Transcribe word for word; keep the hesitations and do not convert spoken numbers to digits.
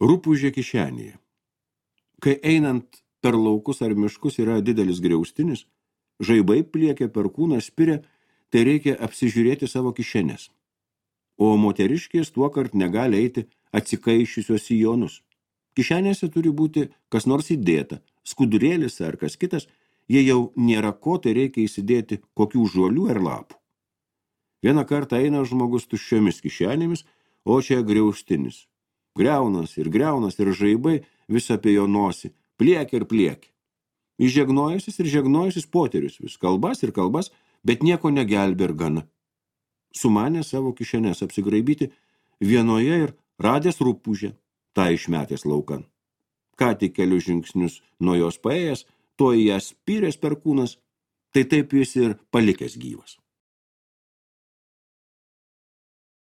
Rupūžė kišenėje. Kai einant per laukus ar miškus yra didelis griaustinis, žaibai pliekia per kūną spiria, tai reikia apsižiūrėti savo kišenės. O moteriškės tuo kart negali eiti atsikaiščiusios sijonus. Kišenėse turi būti kas nors įdėta, skudurėlis ar kas kitas, jei jau nėra ko, tai reikia įsidėti kokių žolių ar lapų. Vieną kartą eina žmogus tuščiomis kišenėmis, o čia griaustinis. Griaunas ir griaunas ir žaibai vis apie jo nosį, pliekia ir pliekia. Įžegnojusis ir žegnojusis poterius vis kalbas ir kalbas, bet nieko negelbė ir gana. Sumanė savo kišenės apsigraibyti vienoje ir radęs rupūžę, tą išmetęs laukan. Ką tik kelius žingsnius nuo jos paėjęs, to į ją spyrės per kūnas, tai taip jis ir palikęs gyvas.